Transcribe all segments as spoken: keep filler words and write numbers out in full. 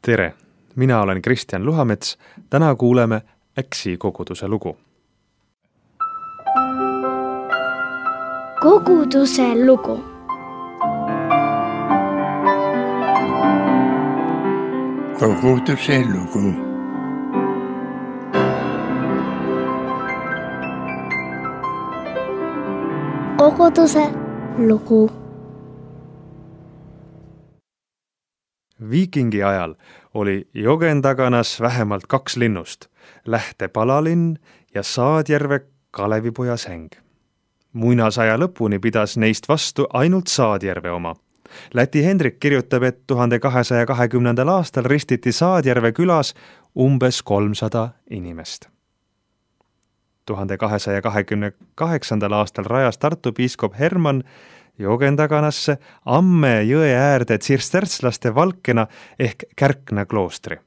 Tere, mina olen Kristjan Luhamets. Täna kuuleme Äksi koguduse lugu. Koguduse lugu. Koguduse lugu. Koguduse lugu. Viikingi ajal oli Jogendaganas vähemalt kaks linnust, Lähte Palalinn ja Saadjärve Kalevipoja säng. Muinasaja lõpuni pidas neist vastu ainult Saadjärve oma. Läti Hendrik kirjutab, et tuhande kahesaja kahekümnendal aastal ristiti Saadjärve külas umbes kolmsada inimest. tuhande kahesaja kahekümne kaheksandal aastal rajas Tartu piiskop Hermann Jogendaganasse Amme jõe äärde tsirstertslaste Valkena ehk Kärkna kloostri.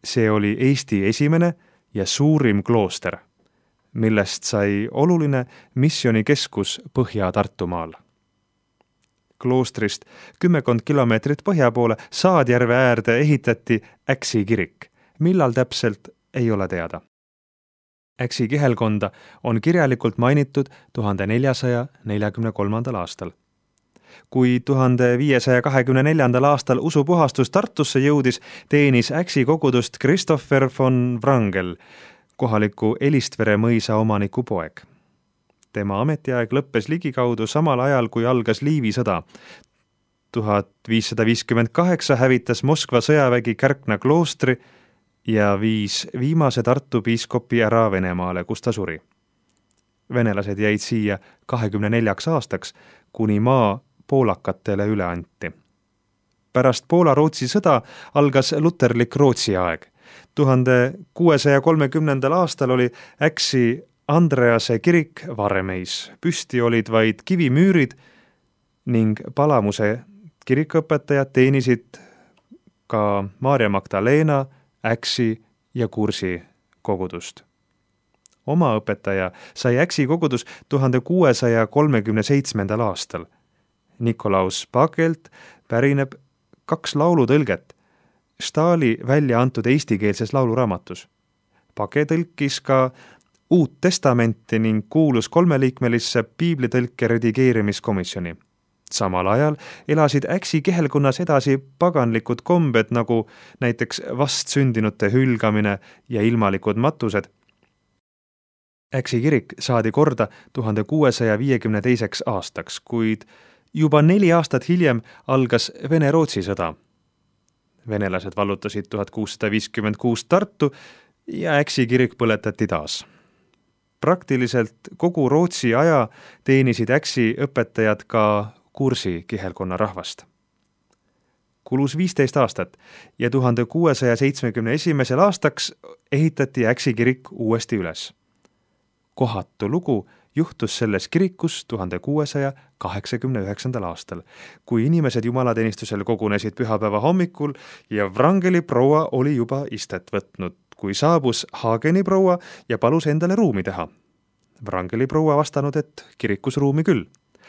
See oli Eesti esimene ja suurim klooster, millest sai oluline missionikeskus Põhja-Tartumaal. Kloostrist kümmekond kilomeetrit põhja poole Saadjärve äärde ehitati Äksi kirik, millal täpselt ei ole teada. Äksi kihelkonda on kirjalikult mainitud tuhande neljasaja neljakümne kolmandal aastal. Kui tuhande viiesaja kahekümne neljandal aastal usupuhastus Tartusse jõudis, teenis Äksi kogudust Christopher von Wrangel, kohaliku Elistvere mõisa omaniku poeg. Tema ametiaeg lõppes ligikaudu samal ajal, kui algas Liivi sõda. tuhat viissada viiskümmend kaheksa hävitas Moskva sõjavägi Kärkna kloostri ja viis viimase Tartu piiskopi ära Venemaale, kus ta suri. Venelased jäid siia kahekümne neljaks aastaks, kuni maa poolakatele üle anti. Pärast Poola-Rootsi sõda algas luterlik Rootsi aeg. tuhande kuuesaja kolmekümnendal aastal oli Äksi Andrease kirik Varemeis. Püsti olid vaid kivimüürid ning Palamuse kirikuõpetajad teenisid ka Maarja Magdalena, Äksi ja Kursi kogudust. Oma õpetaja sai Äksi kogudus tuhande kuuesaja kolmekümne seitsmendal aastal. Nikolaus Pakelt pärineb kaks laulutõlget Stahli välja antud eestikeelses lauluraamatus. Pake tõlkis ka Uut testamenti ning kuulus kolmeliikmelisse piiblitõlke redigeerimiskomisjoni. Samal ajal elasid Äksi kihelkonnas edasi paganlikud kombed, nagu näiteks vastsündinute hülgamine ja ilmalikud matused. Äksi kirik saadi korda tuhande kuuesaja viiekümne teiseks aastaks, kuid juba neli aastat hiljem algas Vene-Rootsi sõda. Venelased vallutasid tuhat kuussada viiskümmend kuus Tartu ja Äksi kirik põletati taas. Praktiliselt kogu Rootsi aja teenisid Äksi õpetajad ka Kursi kihelkonna rahvast. Kulus viisteist aastat ja tuhande kuuesaja seitsmekümne esimesel aastaks ehitati Äksi kirik uuesti üles. Kohatu lugu juhtus selles kirikus tuhande kuuesaja kaheksakümne üheksandal aastal, kui inimesed jumalateenistusel kogunesid pühapäeva hommikul ja Wrangeli proua oli juba istet võtnud, kui saabus Hageni proua ja palus endale ruumi teha. Wrangeli proua vastanud, et kirikus ruumi küll.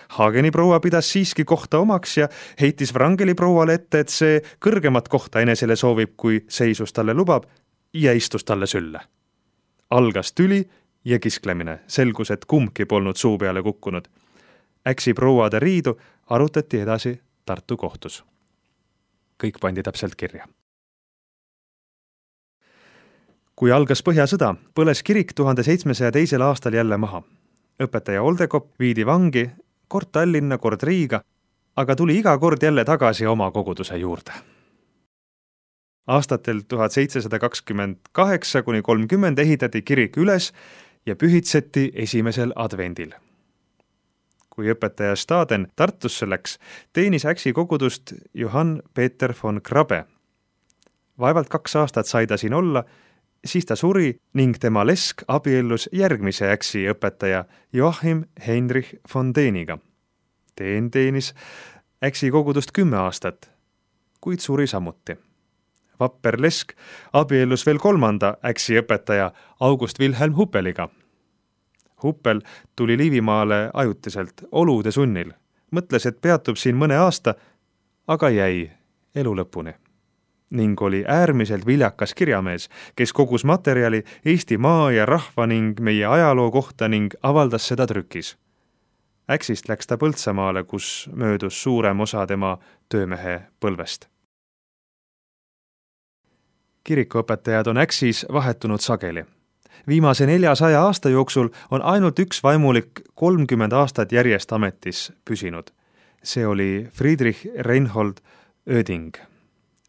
Hageni proua pidas siiski kohta omaks ja heitis Wrangeli prouale ette, et see kõrgemat kohta enesele soovib, kui seisus talle lubab, ja istus talle sülle. Algas tüli ja kisklemine. Selgus, et kumbki polnud suu peale kukkunud. Äksi prouade riidu arutati edasi Tartu kohtus. Kõik pandi täpselt kirja. Kui algas Põhjasõda, põles kirik tuhande seitsmesaja teisel aastal jälle maha. Õpetaja Oldekop viidi vangi kord Tallinna, kord Riiga, aga tuli iga kord jälle tagasi oma koguduse juurde. Aastatel tuhat seitsesada kakskümmend kaheksa kuni kolmkümmend ehitati kirik üles ja pühitseti esimesel advendil. Kui õpetaja Staden Tartusse läks, teenis Äksi kogudust Johann Peter von Krabbe. Vaevalt kaks aastat sai ta siin olla, siis ta suri ning tema lesk abiellus järgmise Äksi õpetaja Joachim Heinrich von Deniga. Teen teenis Äksi kogudust kümme aastat, kuid suri samuti. Vapper lesk abiellus veel kolmanda Äksi õpetaja August Wilhelm Huppeliga. Huppel tuli Liivimaale ajutiselt olude sunnil. Mõtles, et peatub siin mõne aasta, aga jäi elu lõpuni. ning oli äärmiselt viljakas kirjamees, kes kogus materjali Eesti maa ja rahva ning meie ajaloo kohta ning avaldas seda trükis. Äksist läks ta Põltsamaale, kus möödus suurem osa tema töömehe põlvest. Kirikuõpetajad on Äksis vahetunud sageli. Viimase neljasaja aasta jooksul on ainult üks vaimulik kolmkümmend aastat järjest ametis püsinud. See oli Friedrich Reinhold Oeding.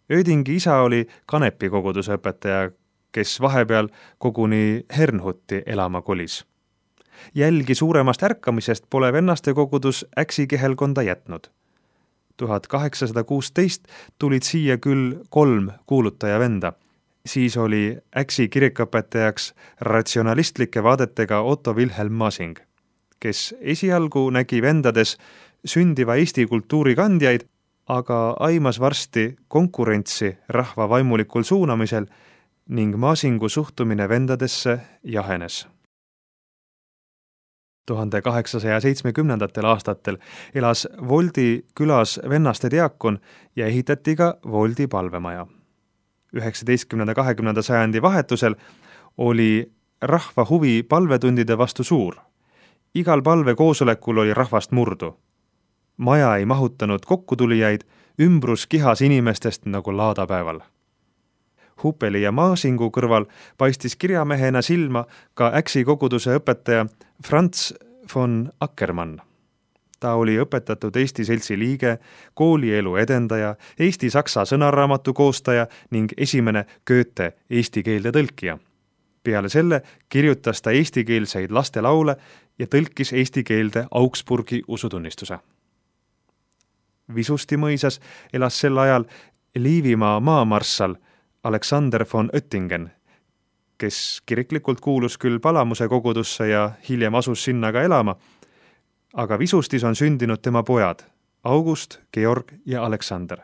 Oedingi isa oli Kanepi koguduse õpetaja, kes vahepeal koguni Hernhutti elama kolis. Jälgi suuremast ärkamisest pole vennaste kogudus Äksi kihelkonda jätnud. tuhat kaheksasada kuusteist tulid siia küll kolm kuulutaja venda. Siis oli Äksi kirikuõpetajaks ratsionalistlike vaadetega Otto Wilhelm Masing, kes esialgu nägi vendades sündiva Eesti kultuuri kandjaid, aga aimas varsti konkurentsi rahva vaimulikul suunamisel ning Masingu suhtumine vendadesse jahenes. tuhande kaheksasaja seitsmekümnendatel aastatel elas Voldi külas vennaste diakon ja ehitati ka Voldi palvemaja. üheksateistkümnenda kahekümnenda sajandi vahetusel oli rahva huvi palvetundide vastu suur. Igal palvekoosolekul oli rahvast murdu. Maja ei mahutanud kokkutulijaid, ümbrus kihas inimestest nagu laadapäeval. Hupeli ja Masingu kõrval paistis kirjamehena silma ka Äksi koguduse õpetaja Franz von Ackermann. Ta oli õpetatud Eesti seltsi liige, koolielu edendaja, Eesti-saksa sõnaraamatu koostaja ning esimene Goethe eesti keelde tõlkija. Peale selle kirjutas ta eestikeelseid lastelaule ja tõlkis eesti keelde Augsburgi usutunnistuse. Visusti mõisas elas sel ajal Liivimaa maamarssal Alexander von Oettingen, kes kiriklikult kuulus küll Palamuse kogudusse ja hiljem asus sinna ka elama, aga Visustis on sündinud tema pojad August, Georg ja Aleksander.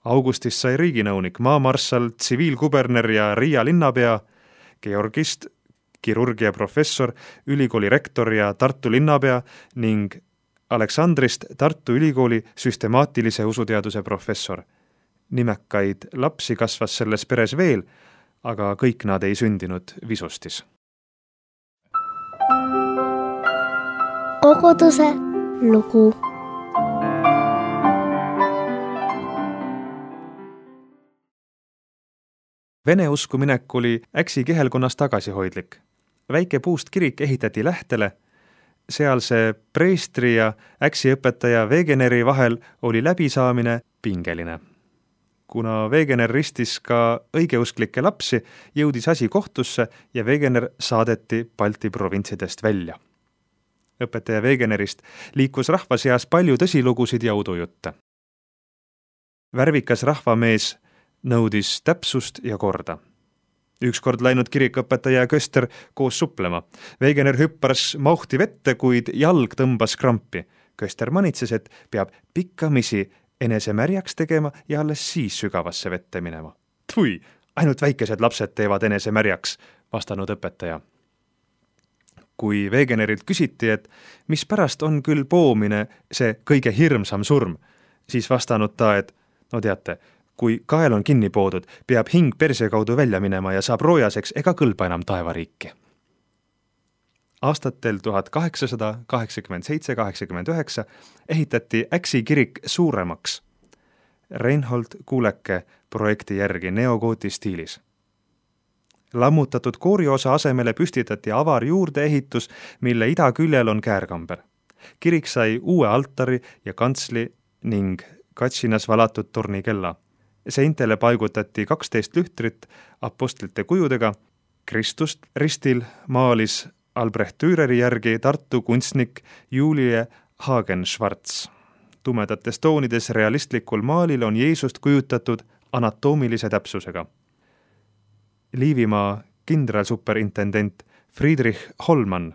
Augustist sai riiginõunik, maamarssal, tsiviilkuberner ja Riia linnapea, Georgist kirurgia professor, ülikooli rektor ja Tartu linnapea ning Aleksandrist Tartu ülikooli süstemaatilise usuteaduse professor. Nimekaid lapsi kasvas selles peres veel, aga kõik nad ei sündinud Visustis. Koguduse lugu. Vene usku minek oli Äksi kihelkonnas tagasihoidlik. Väike puust kirik ehitati Lähtele, sealse preestri ja Äksi õpetaja Wegeneri vahel oli läbisaamine pingeline. Kuna Wegener ristis ka õigeusklikke lapsi, jõudis asi kohtusse ja Wegener saadeti Balti provintsidest välja. Õpetaja Wegenerist liikus rahva seas palju tõsilugusid ja udujutte. Värvikas rahvamees nõudis täpsust ja korda. Ükskord läinud kirikuõpetaja ja köster koos suplema. Wegener hüppas mauhti vette, kuid jalg tõmbas krampi. Köster manitses, et peab pikkamisi enese märjaks tegema ja alles siis sügavasse vette minema. Tui, ainult väikesed lapsed teevad enese märjaks, vastanud õpetaja. Kui Wegenerilt küsiti, et mis pärast on küll poomine see kõige hirmsam surm, siis vastanud ta, et no teate, kui kael on kinni poodud, peab hing perse kaudu välja minema ja saab roojaseks ega kõlba enam taevariiki. Aastatel tuhat kaheksasada kaheksakümmend seitse kaheksakümmend üheksa ehitati Äksi kirik suuremaks Reinhold Kuuleke projekti järgi neogooti stiilis. Lammutatud kooriosa asemele püstitati avar juurdeehitus, mille idaküljel on käärkamber. Kirik sai uue altari ja kantsli ning katsinas valatud tornikella. Seintele paigutati kaksteist lühtrit apostlite kujudega. Kristust ristil maalis Albrecht Düreri järgi Tartu kunstnik Julie Hagen-Schwarz. Tumedates toonides realistlikul maalil on Jeesust kujutatud anatoomilise täpsusega. Liivimaa kindralsuperintendent Friedrich Hollmann,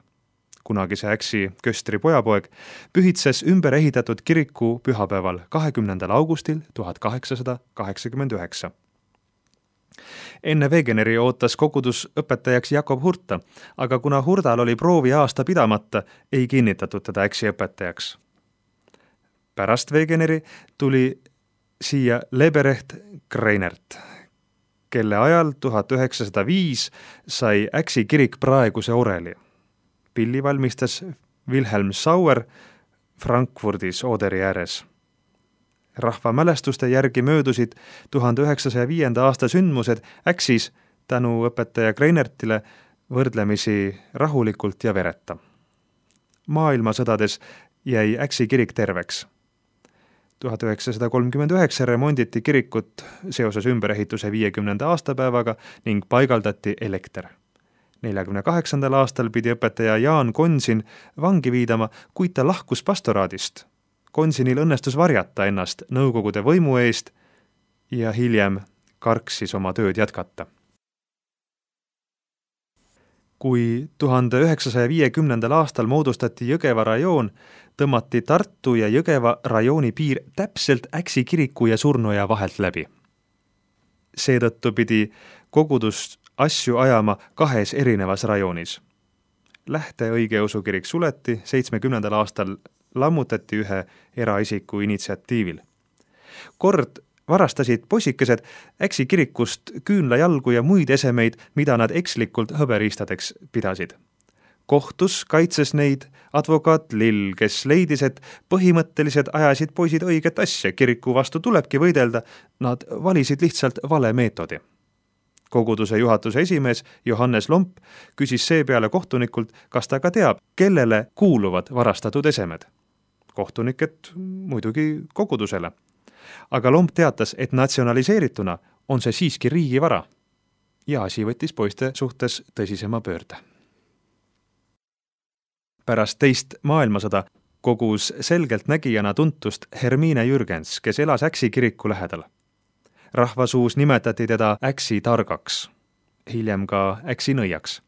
kunagise Äksi köstri pojapoeg, pühitses ümber ehitatud kiriku pühapäeval kahekümnendal augustil tuhat kaheksasada kaheksakümmend üheksa. Enne Wegeneri ootas kogudus õpetajaks Jakob Hurta, aga kuna Hurdal oli proovi aasta pidamata, ei kinnitatud teda Äksi õpetajaks. Pärast Wegeneri tuli siia Leberecht Kreinert, kelle ajal tuhat üheksasada viis sai Äksi kirik praeguse oreli. Pilli valmistas Wilhelm Sauer Frankfurdis Oderi ääres. Rahva mälestuste järgi möödusid tuhande üheksasaja viienda aasta sündmused Äksis tänu õpetaja Kreinertile võrdlemisi rahulikult ja vereta. Maailmasõdades jäi Äksi kirik terveks. tuhat üheksasada kolmkümmend üheksa remonditi kirikut seoses ümberehituse viiekümnenda aastapäevaga ning paigaldati elekter. neljakümne kaheksandal aastal pidi õpetaja Jaan Konsin vangi viidama, kuid ta lahkus pastoraadist. Konsinil õnnestus varjata ennast Nõukogude võimu eest ja hiljem karksis oma tööd jätkata. Kui tuhande üheksasaja viiekümnendal aastal moodustati Jõgeva rajoon, tõmmati Tartu ja Jõgeva rajooni piir täpselt Äksi kiriku ja Surnuja vahelt läbi. Seetõttu pidi kogudus asju ajama kahes erinevas rajoonis. Lähte õigeusu kirik suleti, seitsmekümnendal aastal lammutati ühe eraisiku initsiatiivil. Kord varastasid possikesed Äksi kirikust küünlajalgu ja muid esemeid, mida nad ekslikult hõberiistadeks pidasid. Kohtus kaitses neid advokaat Lill, kes leidis, et põhimõtteliselt ajasid poisid õiget asja, kiriku vastu tulebki võidelda, nad valisid lihtsalt vale meetodi. Koguduse juhatuse esimees Johannes Lomp küsis seepeale kohtunikult, kas ta ka teab, kellele kuuluvad varastatud esemed. Kohtunik, et muidugi kogudusele. Aga Lomp teatas, et natsionaliseerituna on see siiski riigivara. Ja asi võttis poiste suhtes tõsisema pöörde. Pärast teist maailmasõda kogus selgelt nägijana tuntust Hermine Jürgens, kes elas Äksi kiriku lähedal. Rahvasuus nimetati teda Äksi targaks, hiljem ka Äksi nõiaks.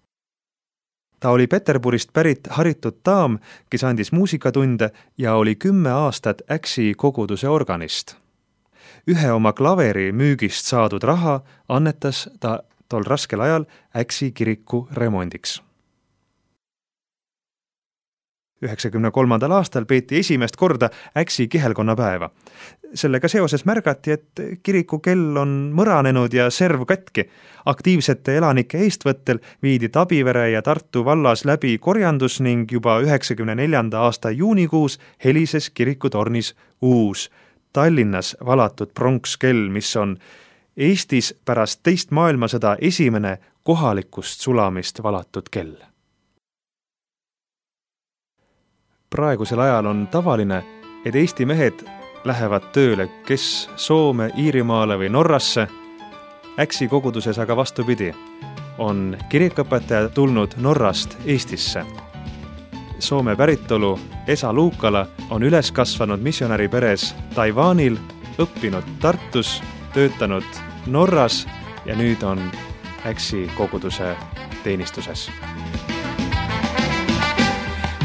Ta oli Peterburist pärit haritud daam, kes andis muusikatunde ja oli kümme aastat Äksi koguduse organist. Ühe oma klaveri müügist saadud raha annetas ta tol raskel ajal Äksi kiriku remondiks. üheksakümne kolmandal aastal peeti esimest korda Äksi kihelkonnapäeva. Sellega seoses märgati, et kiriku kell on mõranenud ja serv katki. Aktiivsete elanike eestvõttel viidi Tabivere ja Tartu vallas läbi korjandus ning juba üheksakümne neljanda aasta juunikuus helises kirikutornis uus Tallinnas valatud pronkskell, mis on Eestis pärast teist maailmasõda esimene kohalikust sulamist valatud kell. Praegusel ajal on tavaline, et Eesti mehed lähevad tööle kes Soome, Iirimaale või Norrasse. Äksi koguduses aga vastupidi, on kirikõpetaja tulnud Norrast Eestisse. Soome päritolu Esa Luukala on üles kasvanud missionäri peres Taiwanil, õppinud Tartus, töötanud Norras ja nüüd on Äksi koguduse teenistuses.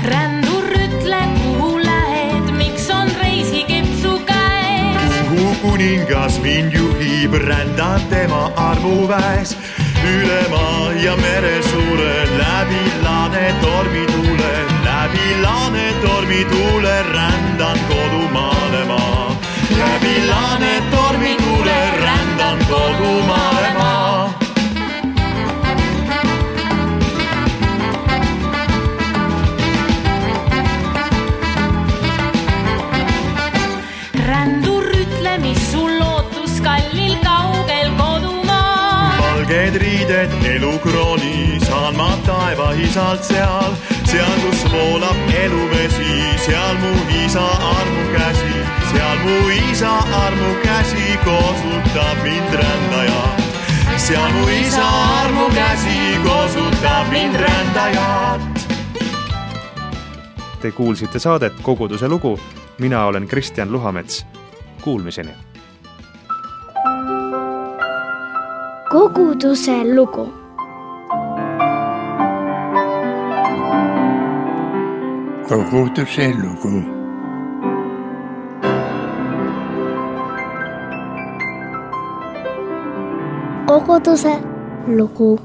Rändur ütle, kuhu lähed, miks on reisikepsu käes? Kuhu kuningas mind juhib, rändab tema armuväes. Üle maa ja mere suure, läbi laane tormituule, läbi laane tormituule, rändan kodumaale maa. Läbi laane tormituule, rändan kodumaale maa. Rändur ütle, mis sul lootus kallil kaugel kodumaa. Valged riided elukrooni, saan ma taeva isalt seal. Seal, kus voolab eluvesi, seal mu isa armu käsi. Seal mu isa armu käsi koosutab mind rändajat. Seal mu isa armu käsi koosutab mind rändajat. Te kuulsite saadet Koguduse lugu. Mina olen Kristjan Luhamets. Kuulmiseni. Koguduse lugu. Koguduse lugu. Koguduse lugu.